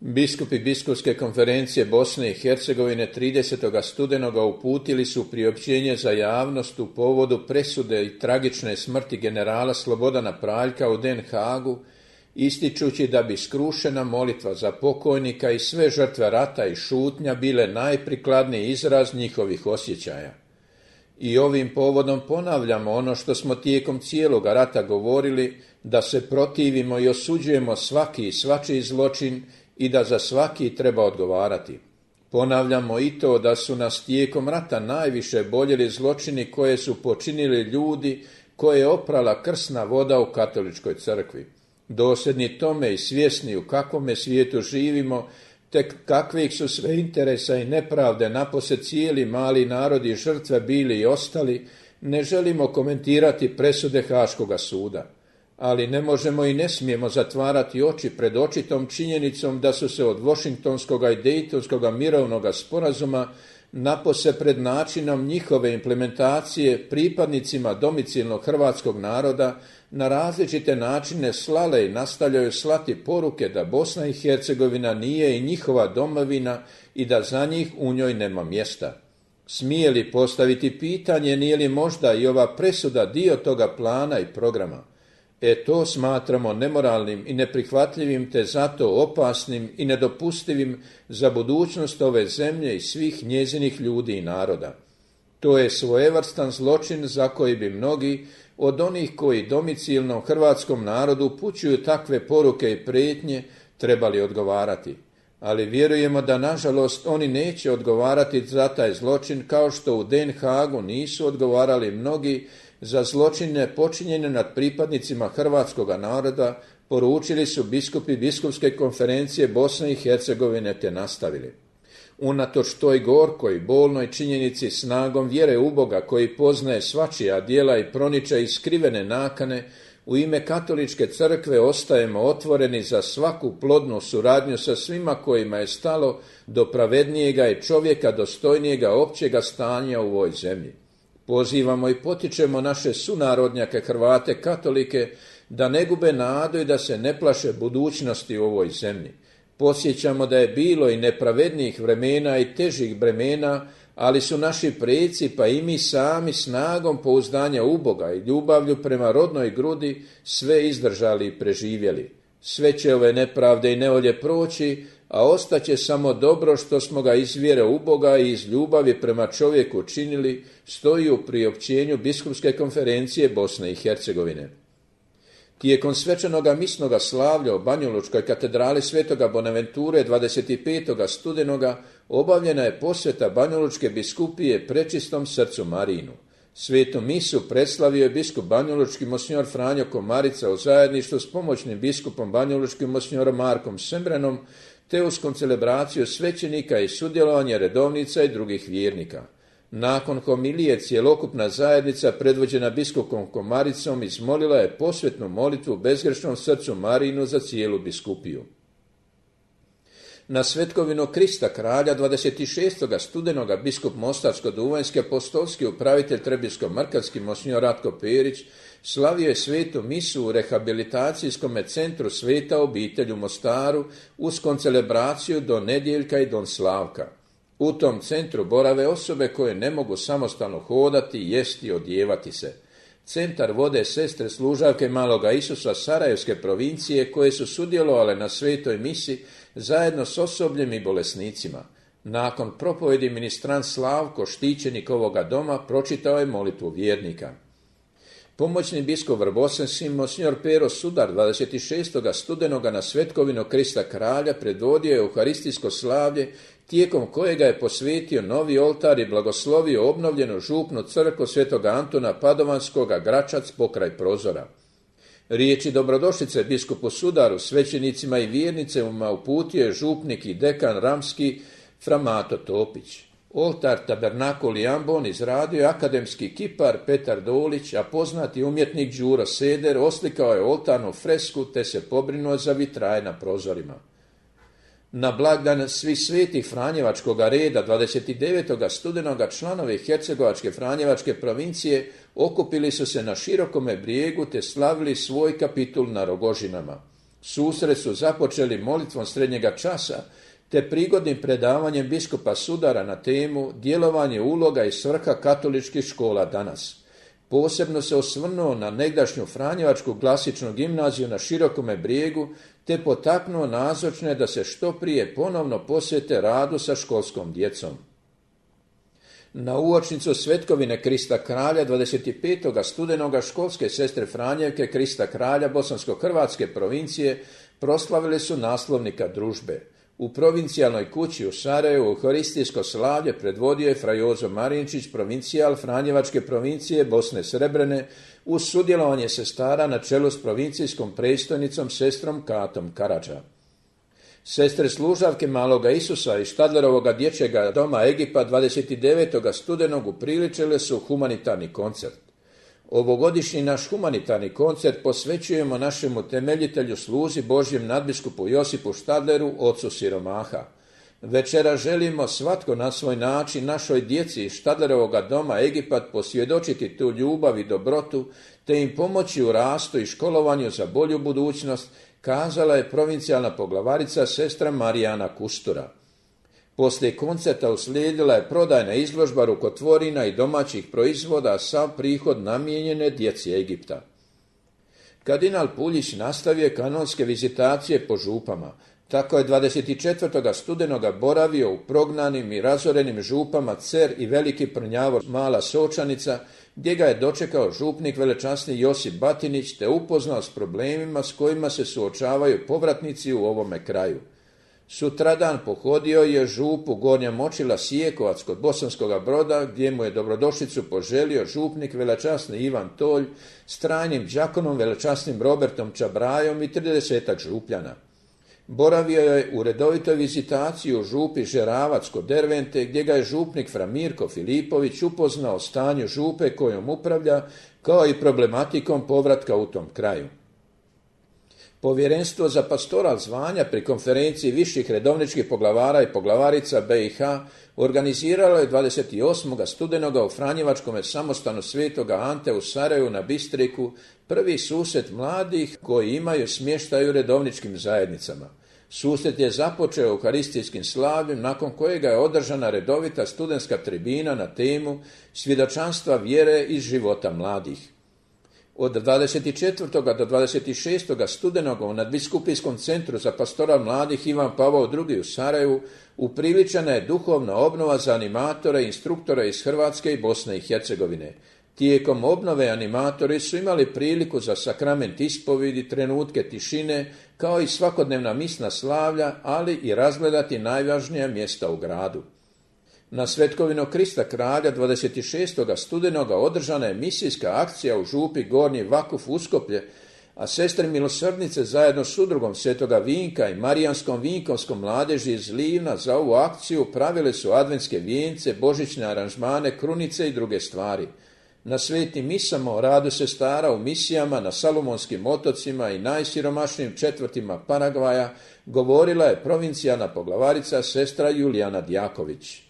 Biskupi Biskupske konferencije Bosne i Hercegovine 30. studenoga uputili su priopćenje za javnost u povodu presude i tragične smrti generala Slobodana Praljka u Den Haagu, ističući da bi skrušena molitva za pokojnika i sve žrtve rata i šutnja bile najprikladniji izraz njihovih osjećaja. I ovim povodom ponavljamo ono što smo tijekom cijeloga rata govorili, da se protivimo i osuđujemo svaki i svačiji zločin i da za svaki treba odgovarati. Ponavljamo i to da su nas tijekom rata najviše boljeli zločini koje su počinili ljudi koje je oprala krsna voda u katoličkoj crkvi. Dosljedni tome i svjesni u kakvome svijetu živimo, te kakvih su sve interesa i nepravde napose cijeli mali narod i žrtve bili i ostali, ne želimo komentirati presude Haškoga suda. Ali ne možemo i ne smijemo zatvarati oči pred očitom činjenicom da su se od Washingtonskoga i Dejtonskoga mirovnoga sporazuma napose pred načinom njihove implementacije pripadnicima domicilnog hrvatskog naroda na različite načine slale i nastavljaju slati poruke da Bosna i Hercegovina nije i njihova domovina i da za njih u njoj nema mjesta. Smije li postaviti pitanje nije li možda i ova presuda dio toga plana i programa? To smatramo nemoralnim i neprihvatljivim te zato opasnim i nedopustivim za budućnost ove zemlje i svih njezinih ljudi i naroda. To je svojevrstan zločin za koji bi mnogi od onih koji domicilnom hrvatskom narodu upućuju takve poruke i prijetnje trebali odgovarati. Ali vjerujemo da nažalost oni neće odgovarati za taj zločin kao što u Den Haagu nisu odgovarali mnogi za zločine počinjene nad pripadnicima hrvatskoga naroda, poručili su biskupi Biskupske konferencije Bosne i Hercegovine te nastavili. Unatoč toj gorkoj, bolnoj činjenici snagom vjere u Boga koji poznaje svačija djela i proniče i skrivene nakane, u ime Katoličke crkve ostajemo otvoreni za svaku plodnu suradnju sa svima kojima je stalo do pravednijega i čovjeka dostojnijega općega stanja u ovoj zemlji. Pozivamo i potičemo naše sunarodnjake Hrvate katolike da ne gube nadu i da se ne plaše budućnosti u ovoj zemlji. Podsjećamo da je bilo i nepravednijih vremena i težih bremena, ali su naši preci pa i mi sami snagom pouzdanja u Boga i ljubavlju prema rodnoj grudi sve izdržali i preživjeli. Sve će ove nepravde i nevolje proći, a ostaće samo dobro što smo ga iz vjere u Boga i iz ljubavi prema čovjeku činili, stoji u priopćenju Biskupske konferencije Bosne i Hercegovine. Tijekom svečanoga misnoga slavlja u Banjalučkoj katedrali Svetoga Bonaventure 25. studenoga obavljena je posveta Banjalučke biskupije Prečistom srcu Marinu. Svetu misu predstavio je biskup banjalučki monsignor Franjo Komarica u zajedništvu s pomoćnim biskupom banjalučkim monsignorom Markom Sembrenom, te uz koncelebraciju svećenika i sudjelovanje redovnica i drugih vjernika. Nakon homilije cjelokupna zajednica predvođena biskupom Komaricom izmolila je posvetnu molitvu bezgrešnom srcu Marinu za cijelu biskupiju. Na svetkovinu Krista kralja 26. studenoga biskup Mostarsko-Duvanjski apostolski upravitelj Trebinsko-Mrkatski monsignor Ratko Perić slavio je svetu misu u rehabilitacijskom centru Sveta obitelj u Mostaru uz koncelebraciju Don Nedjeljka i Don Slavka. U tom centru borave osobe koje ne mogu samostalno hodati, jesti i odjevati se. Centar vode sestre služavke Maloga Isusa Sarajevske provincije koje su sudjelovale na svetoj misi zajedno s osobljem i bolesnicima. Nakon propovjedi ministrant Slavko, štićenik ovoga doma, pročitao je molitvu vjernika. Pomoćni biskup Vrbosanski monsignor Pero Sudar 26. studenoga na svetkovinu Krista kralja predvodio je euharistijsko slavlje tijekom kojega je posvetio novi oltar i blagoslovio obnovljenu župnu crkvu Svetoga Antuna Padovanskoga Gračac pokraj prozora. Riječi dobrodošlice biskupu Sudaru, svećenicima i vjernicima uputio je župnik i dekan Ramski fra Mato Topić. Oltar Tabernakul i Ambon izradio je akademski kipar Petar Dolić, a poznati umjetnik Đuro Seder oslikao je oltarnu fresku te se pobrinuo za vitraje na prozorima. Na blagdan svih svetih Franjevačkoga reda 29. studenoga članovi Hercegovačke Franjevačke provincije okupili su se na širokome brijegu te slavili svoj kapitul na Rogožinama. Susret su započeli molitvom srednjega časa, te prigodnim predavanjem biskupa Sudara na temu djelovanje, uloga i svrha katoličkih škola danas. Posebno se osvrnuo na negdašnju Franjevačku klasičnu gimnaziju na Širokome Brijegu, te potaknuo nazočne da se što prije ponovno posvete radu sa školskom djecom. Na uočnicu svetkovine Krista Kralja 25. studenoga školske sestre Franjevke Krista Kralja Bosansko-Hrvatske provincije proslavili su naslovnika družbe. U provincijalnoj kući u Sarajevu euharistijsko slavlje predvodio je fra Jozo Marinčić, provincijal Franjevačke provincije Bosne Srebrene, uz sudjelovanje sestara na čelu s provincijskom predstojnicom sestrom Katom Karadža. Sestre služavke Maloga Isusa i Štadlerovoga dječjega doma Egipa 29. studenog upriličile su humanitarni koncert. Ovogodišnji naš humanitarni koncert posvećujemo našemu temeljitelju sluzi Božjem nadbiskupu Josipu Štadleru, ocu siromaha. Večera želimo svatko na svoj način našoj djeci iz Štadlerovoga doma Egipat posvjedočiti tu ljubav i dobrotu, te im pomoći u rastu i školovanju za bolju budućnost, kazala je provincijalna poglavarica sestra Marijana Kustura. Poslije koncerta uslijedila je prodajna izložba rukotvorina i domaćih proizvoda, a sav prihod namijenjene djeci Egipta. Kardinal Puljić nastavio kanonske vizitacije po župama. Tako je 24. studenoga boravio u prognanim i razorenim župama Cer i Veliki Prnjavor Mala Sočanica, gdje ga je dočekao župnik velečasni Josip Batinić te upoznao s problemima s kojima se suočavaju povratnici u ovome kraju. Sutradan pohodio je župu Gornja Močila Sijekovac kod Bosanskoga Broda, gdje mu je dobrodošlicu poželio župnik velečasni Ivan Tolj s trajnim đakonom velečasnim Robertom Čabrajom i 30 župljana. Boravio je u redovitoj vizitaciji u župi Žeravac kod Dervente, gdje ga je župnik fra Mirko Filipović upoznao o stanju župe kojom upravlja, kao i problematikom povratka u tom kraju. Povjerenstvo za pastoral zvanja pri konferenciji viših redovničkih poglavara i poglavarica BiH organiziralo je 28. studenoga u Franjevačkome samostanu Svetoga Ante u Sarajevu na Bistriku prvi susret mladih koji imaju smještaj u redovničkim zajednicama. Susret je započeo euharistijskim slavljem, nakon kojega je održana redovita studentska tribina na temu svjedočanstva vjere iz života mladih. Od 24. do 26. studenoga u Nadbiskupijskom centru za pastoral mladih Ivan Pavao II. U Sarajevu upriličena je duhovna obnova za animatore i instruktore iz Hrvatske i Bosne i Hercegovine. Tijekom obnove animatori su imali priliku za sakrament ispovidi, trenutke tišine, kao i svakodnevna misna slavlja, ali i razgledati najvažnija mjesta u gradu. Na svetkovinu Krista Kralja 26. studenoga održana je misijska akcija u župi Gornji Vakuf Uskoplje, a sestre milosrdnice zajedno s udrugom Svetoga Vinka i Marijanskom vinkovskom mladeži iz Livna za ovu akciju pravile su adventske vijence, božićne aranžmane, krunice i druge stvari. Na svetim misama o radu sestara u misijama na Salomonskim otocima i najsiromašnijim četvrtima Paragvaja govorila je provincijalna poglavarica sestra Julijana Djaković.